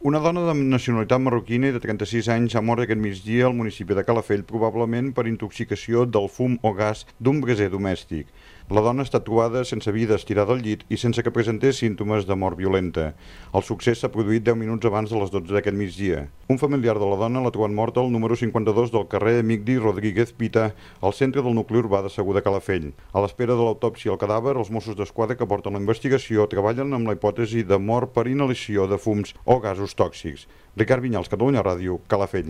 Una dona de nacionalitat marroquina i de 36 anys ha mort aquest migdia al municipi de Calafell, probablement per intoxicació del fum o gas d'un braser domèstic. La dona ha estat trobada sense vida, estirada al llit i sense que presentés símptomes de mort violenta. El succés s'ha produït 10 minuts abans de les 12 d'aquest migdia. Un familiar de la dona l'ha trobat morta al número 52 del carrer Migdi Rodríguez Pita, al centre del nucli urbà de Segur de Calafell. A l'espera de l'autòpsia al cadàver, els Mossos d'Esquadra que porten la investigació treballen amb la hipòtesi de mort per inhalació de fums o gasos tòxics. Ricard Vinyals, Catalunya Ràdio, Calafell.